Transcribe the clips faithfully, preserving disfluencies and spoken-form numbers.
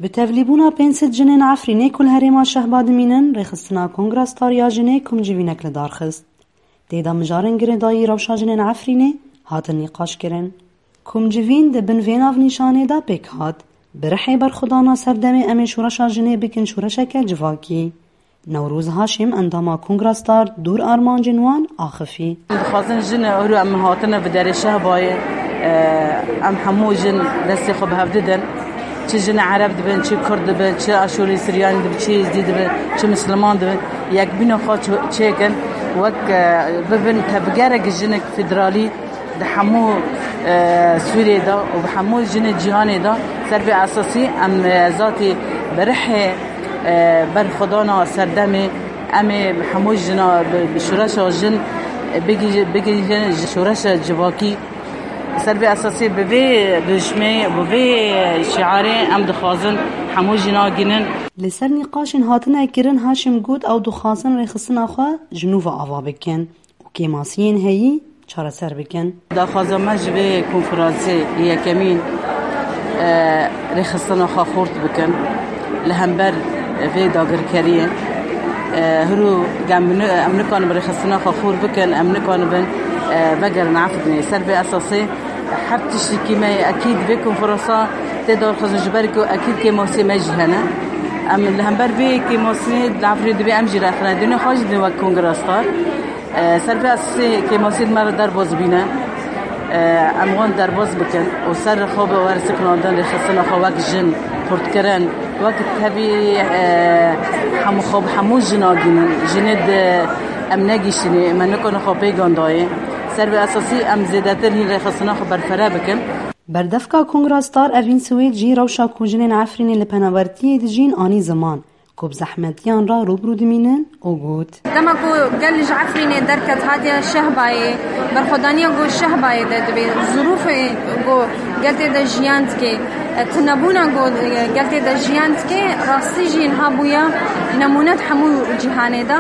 Bi tevlîbûna pênc sed jinên Efrînê ku li herêma Şehba dimînin, rêxistina Kongra Star ya Jinê komcivînek li dar xist. Tê de mijarên girêdayî rewşa jinên Efrînê hatin nîqaşkirin. Komcivîn di bin vê navnîşanê de pêk hat, bi rihê berxwedana serdemê em ê şoreşa jinê bikin şoreşeke civakî. Newroz Haşim, endama Kongra Star, dûr armancên wan axifî. Dixwazin jin, euro em hatine bi derê Şehbayê, e, em hemû jin destê xwe bi hev didin. Çi jin Ereb dibin, çi Kurd dibin, çi Aşûrî Siryanî dibin, çi Êzdî dibin, çi Misliman dibin, yekbîna xwe ço-, çêkin, wek, e, bibin tevgerek jinek federalî di hemû, e, Sûriyê de û bi hemû jinê cîhanê de. Ser vê esasî em, e, zatî bi rihê, e, berxwedana serdemê em ê hemû jina bi, bi şoreşa jin bigî-, bigihîjin ji şoreşa civakî. Ser vê esasî bi vê dijmê, bi vê şiarê em dixwazin hemû jina gînin. Li ser nîqaşên hatine kirin Haşim got ew dixwazin rêxistina xwe ji nû ve ava bikin û kêmasiyên heyî çareser bikin. Daxwaza me ji vê konferansê yekemîn, e, rêxistina xwe xurt bikin li hember vê dagirkeriyê. E, hiro gem ni-, em nikanibin rêxistina xwe xurt bikin, em nikanibin, e, vegerin Efrînê. Ser vê esasê her tiştekî me yê ekîd vê konferansa tê darxistin, ji ber ku ekîd kêmasiyê me jî hene. Em li hember vê kêmasiyê li Efrînê divê em jî rexine, dûnê xwe jî dibin wek Kongra Star. E, ser vê esasê kêmasiyên me re derbas bîne. E, em wan derbas bikin û ser xwe bi wersiknandin rêxistina xwe wek jin, xurtkirin, wek tevî, e, hemû xwe bi hemû jina gînin. Jinê di em negihîştinê, me nikane xwe pêgan dayê. Ser vê esasî em zêdetir hîn rêxistina xwe berfere bikin. Berdevka Kongra Star Evîn Swêd jî rewşa ku jinên Efrînê li penabertiyê dijîn anî ziman ku bi zehmetiyan re rûbirû dimînin û got: Dema ku gel ji Efrînê derket hatiye Şehbayê, berxwedaniya ku Şehbayê de dibe, zirûfê ku gel tê de jiyan dike, tunebûna ku gel tê de jiyan dike, rastî jî niha bûye nemûne di hemû cîhanê de.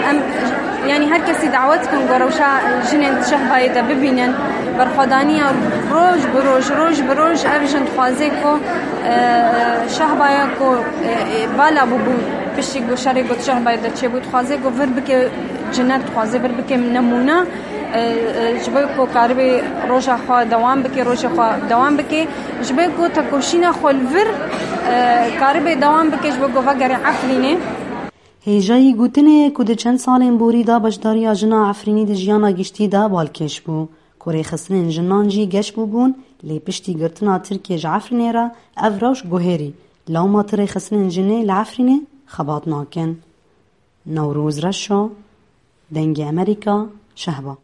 Em, yanî her kesî dawet dikin ku rewşa jinên di Şehbayê de bibînin. Berxwedaniya roj bi roj, roj bi roj ev jin dixwaze ku, e, Şehbaya ku, e, e, bala bûbû piştî ku şerê ku di Şehbayê de çêbû, dixwaze ku vir bike cinet, dixwaze vir bike nemûne, e, e, ji bo ku karibê roja xwe dewam bike, rojê xwe dewam bike, ji bo ku tekoşîna xwe li vir, e, karibê dewam bike, ji bo ku vegerê Efrînê. Hêjayî gotinê ye ku di çend salên borî de beşdariya jina Efrînî di jiyana giştî de balkêş bû, ku rêxistinên jinan jî geş bûbûn, lê piştî girtina Tirkiyê ji Efrînê re ev rewş guherî, lewma ti rêxistinên jinê li Efrînê xebat nakin. Newroz Reşo, Dengê Amerîka, Şehba.